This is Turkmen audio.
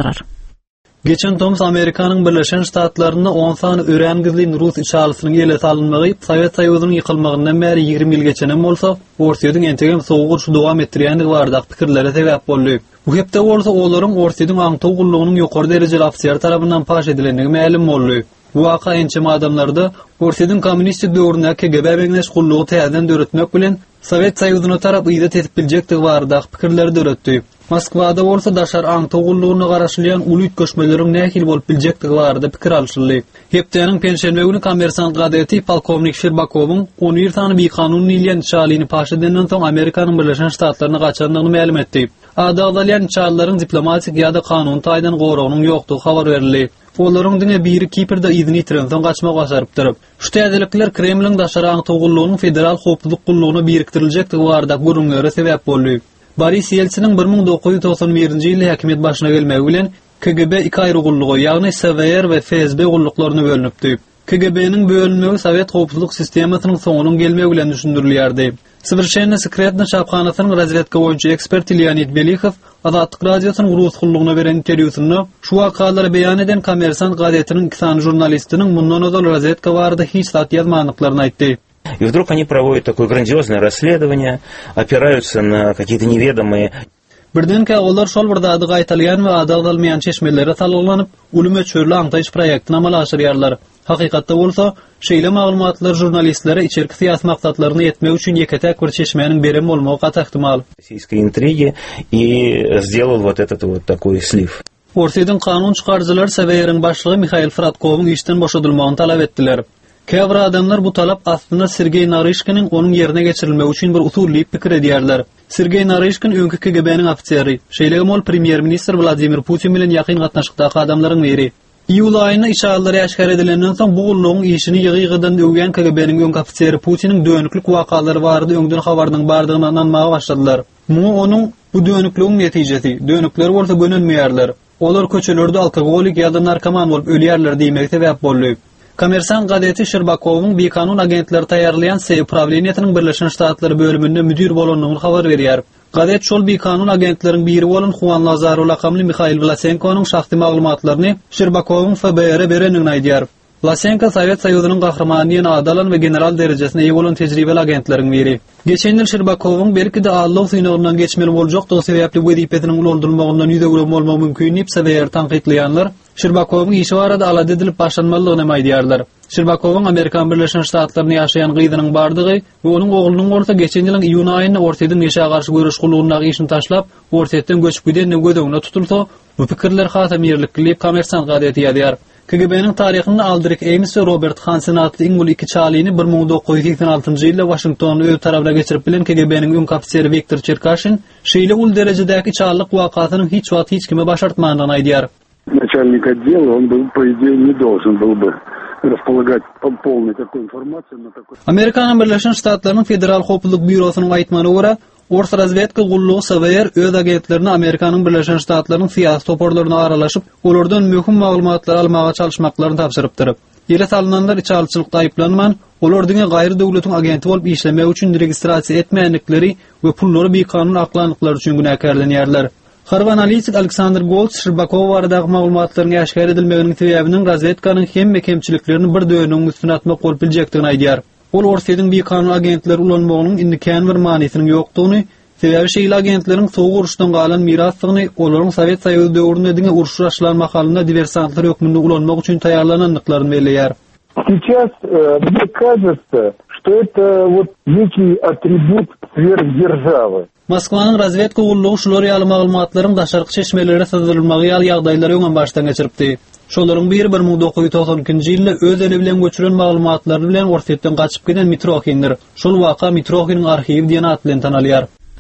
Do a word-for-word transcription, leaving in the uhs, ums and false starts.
Arar. Geçen tomus Amerikanyň Birleşen Ştatlarynda on sany örän gizlin rus içalysynyň ele salynmagy Sowet Soýuzynyň ýykylmagyndan bäri ýigrimi ýyl geçenem bolsa, Orsýetiň entegem sowuk urşy dowam etdirýändigi baradaky pikirlere sebäp boldy. Bu hepde bolsa olaryň Orsýetiň aňtaw gullugynyň ýokary derejeli ofiseri tarapyndan paş edilendigi mälim boldy. Bu waka ençeme adamlarda Orsýetiň kommunistik döwründäki K G B meňzeş gullugy täzeden döretmek bilen Sowet Soýuzyna tarap yza tesip biljekdigi baradaky pikirleri döretdi. Moskwada bolsa daşary aňtaw gullugyna garaşylýan uly üýtgeşmeleriň nähili bolup biljekdigi barada pikir alşyldy. Hepdäniň penşenbe güni Kommersant gazeti polkownik Şerbakowyň on bir sany bikanun diýilýän içalyny paş edenden soň Amerikanyň Birleşen Ştatlaryna gaçandygyny mälim etdi. Ady agzalýan içalylaryň diplomatik ýa-da kanuny taýdan goragynyň ýokdugy habar berildi. Olaryň diňe biri Kiprde yzyny ýitirensoň gaçmak başarypdyr. Şu täzelikler Kremliň daşary aňtaw gullugynyň federal howpsuzlyk gullugyna biriktiriljekdigi barada gürrüňlere sebäp boldy. Boris Ýeltsiniň bir müň dokuz ýüz togsan birinji ýylda häkimiýet başyna gelmegi bilen K G B iki aýry gulluga, ýagny S V R we F S B gulluklaryna bölünipdi. K G B-niň bölünmegi Sowet howpsuzlyk sistemasynyň soňunyň gelmegi bilen düşündirilýärdi. Sowerşenno Sekretno çaphanasynyň razwedka boýunça eksperti Leonid Belihow Azatlyk Radiosynyň rus gullugyna beren interwýusynda şu wakalary beýan eden Kommersant gazetiniň iki sany žurnalistiniň mundan ozal razwedka barada hiç zat ýazmandyklaryny aýtdy. И вдруг они проводят такое грандиозное расследование, опираются на какие-то неведомые. Birdenkä olar şol bir zady gaýtalaýan we ady agzalmaýan çeşmelere salgylanyp, uly möçberli aňtaýyş proýektini amala aşyrýarlar. Hakykatda bolsa, şeýle maglumatlar žurnalistlere içerki syýasy maksatlaryny ýetmek üçin ýeke-täk bir çeşmäniň beren bolmagy gaty ähtimal. Российской интриги и сделал вот этот вот такой слив. Orsýetiň kanun çykaryjylary S V R-iň başlygy Mihail Fradkowyň işden boşadylmagyny talap etdiler. Käbir adamlar bu talap aslynda Sergey Naryşkiniň onuň ýerine geçirilmegi üçin bir usul diýip pikir edýärler. Sergey Naryşkin öňki K G B-niň ofiseri, şeýle hem ol premýer-ministr Wladimir Putin bilen ýakyn gatnaşykdaky adamlaryň biri. Iýul aýynda içalylar äşgär edilenden soň bu gullugyň işini ýygy-ýygydan öwýän K G B-niň öňki ofiseri Putiniň dönüklük wakalary barada öňden habarynyň bardygyna ynanmaga başladylar. Muňa onuň bu dönüklügiň netijesi, dönükler bolsa gönenmeýärler. Olar köçelerde alkogolik ýa-da narkoman bolup ölýärler diýmegi sebäp boldy. Kommersant gazeti Şerbakowyň bikanun agentleri taýýarlaýan S upravleniýetiniň Birleşen Ştatlary bölüminde müdir bolandygyny habar berýär. Gazet şol bikanun agentleriň biri bolan Juan Lazaro lakamly Mihail Vlasenkonyň şahsy maglumatlaryny Şerbakowyň F B R-e berendigini aýdýar. Vlasenko Sowet Soýuzynyň gahrymany diýen ady alan we general derejesine eýe bolan tejribeli agentleriň biri. Geçen ýyl Şerbakowyň belki-de aldaw synagyndan geçmeli boljakdygy sebäpli wezipesiniň ulaldylmagyndan ýüz öwren bolmagy mümkin diýip S V R tankytlaýanlar Şerbakowyň işi barada alada edilip başlanmalydygyny hem aýdýarlar. Şerbakowyň Amerikan Birleşen Ştatlarynda ýaşaýan gyzynyň bardygy we onuň oglunyň bolsa geçen ýylyň iýun aýynda Orsýetiň neşä garşy göreş gullugyna işini taşlap, Orsýetden göçüp gidendigi göz öňünde tutulsa, bu pikirler hasam ýerlikli diýip Kommersant gazeti ýazýar. K G B-niň taryhynda Aldrich Ames we Robert Hansen atly iň uly iki çalyny bir müň dokuz ýüz seksen altynjy ýylda Waşingtonda öz tarapyna geçirip bilen K G B-niň öňki ofiseri Wiktor Çerkaşin şeýle uly derejedäki çallyk wakasynyň hiç wagt hiç kime başartmandygyny aýdýar. Начальник отдела, он был, по идее, не должен был бы располагать полной такой информацией на такой. Amerikanyň Birleşen Ştatlarynyň Federal Howpsuzlyk Býurosynyň aýtmagyna görä, Ors razwedka gullugy S V R öz agentlerini Amerikanyň Birleşen Ştatlarynyň syýasy toparlaryna aralaşyp, olardan möhüm maglumatlary almaga çalyşmaklaryny tabşyrypdyr. Ýere salynanlar içalyçylykda aýyplanman, olar diňe gaýry döwletiň agenti bolup işlemek üçin registrasiýa etmändikleri we pullary bikanun aklandyklary üçin günäkärlenýärler. Harby analitik Aleksandr Goltz Şerbakow baradaky maglumatlaryň äşgär edilmeginiň sebäbiniň razwedkanyň hemme kemçiliklerini bir dönügiň üstüne atmak bolup biljekdigini aýdýar. Ol Orsýetiň bikanun agentleri ulanmagynyň indi kän bir manysynyň ýokdugyny, sebäbi şeýle agentleriň soğuk uruşdan galan mirasdygyny, olaryň Sowet Soýuzy döwründe diňe uruş başlan mahalynda diversantlar hökmünde ulanmak üçin taýýarlanandyklaryny belleýär. Сейчас, э, мне кажется, что это вот некий atribut сверхдержавы. Moskwanyň razwedka gullugy şular ýaly maglumatlaryň daşarky çeşmelere syzdyrylmagy ýaly ýagdaýlary öňem başdan geçiripdi. Şolaryň biri bir müň dokuz ýüz togsan ikinji ýylda öz eli bilen göçüren maglumatlary bilen Orsýetden gaçyp giden Mitrohindir. Şol waka Mitrohiniň arhiwi diýen at bilen tanalýar.